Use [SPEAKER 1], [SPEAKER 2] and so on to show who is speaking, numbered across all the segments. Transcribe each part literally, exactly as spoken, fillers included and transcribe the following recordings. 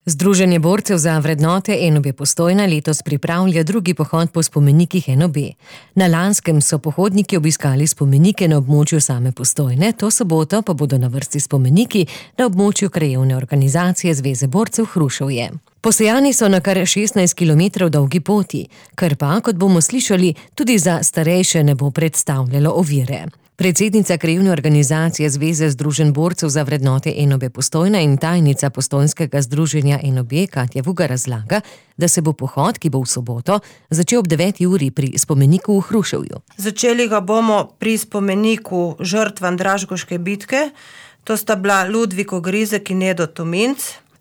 [SPEAKER 1] Združenje borcev za vrednote N O B Postojna letos pripravlja drugi pohod po spomenikih N O B. Na lanskem so pohodniki obiskali spomenike na območju same Postojne, to soboto pa bodo na vrsti spomeniki na območju krajevne organizacije Zveze borcev Hruševje. Posejani so na kar šestnajst kilometrov dolgi poti, kar pa, kot bomo slišali, tudi za starejše ne bo predstavljalo ovire. Predsednica krajevne organizacije Zveze združenj borcev za vrednote N O B Postojna in tajnica postojnskega združenja N O B Katja Vuga razlaga, da se bo pohod, ki bo v soboto, začel ob deveti uri pri spomeniku v Hruševju.
[SPEAKER 2] Začeli ga bomo pri spomeniku žrtvam Dražgoške bitke, to sta bila Ludvik Ogrizek in Edo Tominc.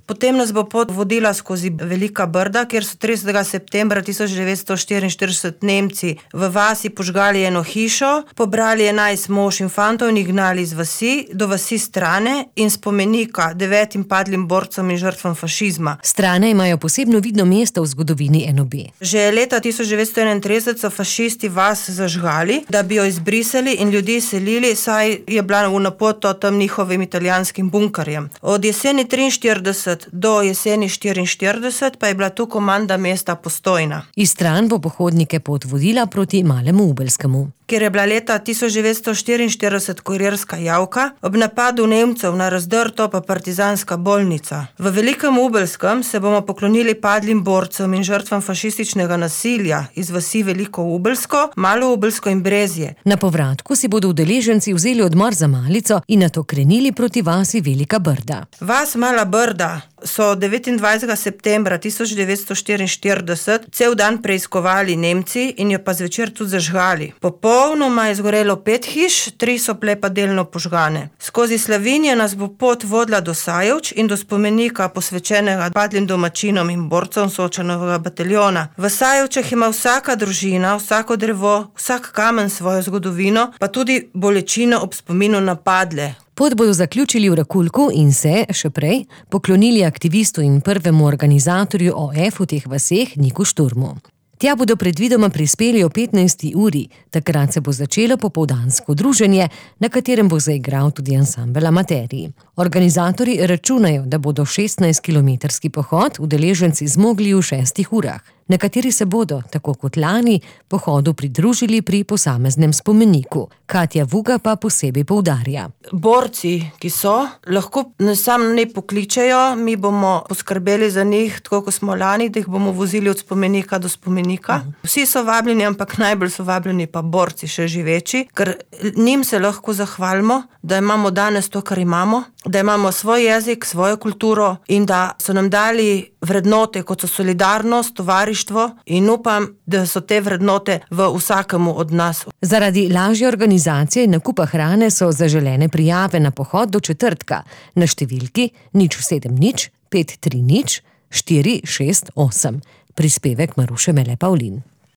[SPEAKER 2] Potem nas bo pot vodila skozi Velika Brda, kjer so tridesetega septembra tisoč devetsto štiriinštirideset Nemci v vasi požgali eno hišo, pobrali enajst mož in fantov in jih gnali iz vasi do vasi Strane in spomenika devetim padlim borcem in žrtvam fašizma.
[SPEAKER 1] Strane imajo posebno vidno mesto v zgodovini N O B.
[SPEAKER 2] Že leta tisoč devetsto enaintrideset so fašisti vas zažgali, da bi jo izbrisali in ljudi selili, saj je bila v napoto tam njihovim italijanskim bunkarjem. Od jeseni triinštirideset do jeseni štiriinštirideset pa je bila tu komanda mesta Postojna.
[SPEAKER 1] Iz Stran bo pohodnike pot vodila proti Malemu Ubelskemu.
[SPEAKER 2] Kjer je bila leta tisoč devetsto štiriinštirideset kurirska javka, ob napadu Nemcev na Razdrto pa partizanska bolnica. V Velikem Ubelskem se bomo poklonili padlim borcem in žrtvam fašističnega nasilja iz vasi Veliko Ubelsko, Malo Ubelsko in Brezje.
[SPEAKER 1] Na povratku si bodo udeleženci vzeli odmor za malico in nato krenili proti vasi Velika Brda.
[SPEAKER 2] Vas Mala Brda so devetindvajsetega septembra tisoč devetsto štiriinštirideset cel dan preiskovali Nemci in jo pa zvečer tudi zažgali. Popolnoma je zgorelo pet hiš, tri so bile pa delno požgane. Skozi Slavinje nas bo pot vodila do Sajevč in do spomenika posvečenega padlim domačinom in borcem Sočanovega bataljona. V Sajevčah ima vsaka družina, vsako drevo, vsak kamen svojo zgodovino, pa tudi bolečino ob spominu na padle.
[SPEAKER 1] Pot bodo zaključili v Rakulku in se, še prej, poklonili aktivistu in prvemu organizatorju O F v teh vaseh Niku Šturmu. Tja bodo predvidoma prispeli o petnajsti uri, takrat se bo začelo popoldansko druženje, na katerem bo zaigral tudi ansambel Amaterji. Organizatorji računajo, da bodo šestnajstkilometrski pohod udeleženci zmogli v šestih urah. Nekateri se bodo, tako kot lani, pohodu pridružili pri posameznem spomeniku. Katja Vuga pa posebej poudarja.
[SPEAKER 2] Borci, ki so, lahko sam ne pokličejo, mi bomo poskrbeli za njih, tako kot smo lani, da jih bomo vozili od spomenika do spomenika. Vsi so vabljeni, ampak najbolj so vabljeni pa borci še živeči, ker njim se lahko zahvalimo, da imamo danes to, kar imamo, da imamo svoj jezik, svojo kulturo in da so nam dali vrednote, kot so solidarnost, tovarištvo in upam, da so te vrednote v vsakemu od nas.
[SPEAKER 1] Zaradi lažje organizacije in nakupa hrane so zaželene prijave na pohod do četrtka na številki nič sedem nič pet tri nič štiri šest osem. Prispevek Maruše Mele Pavlin.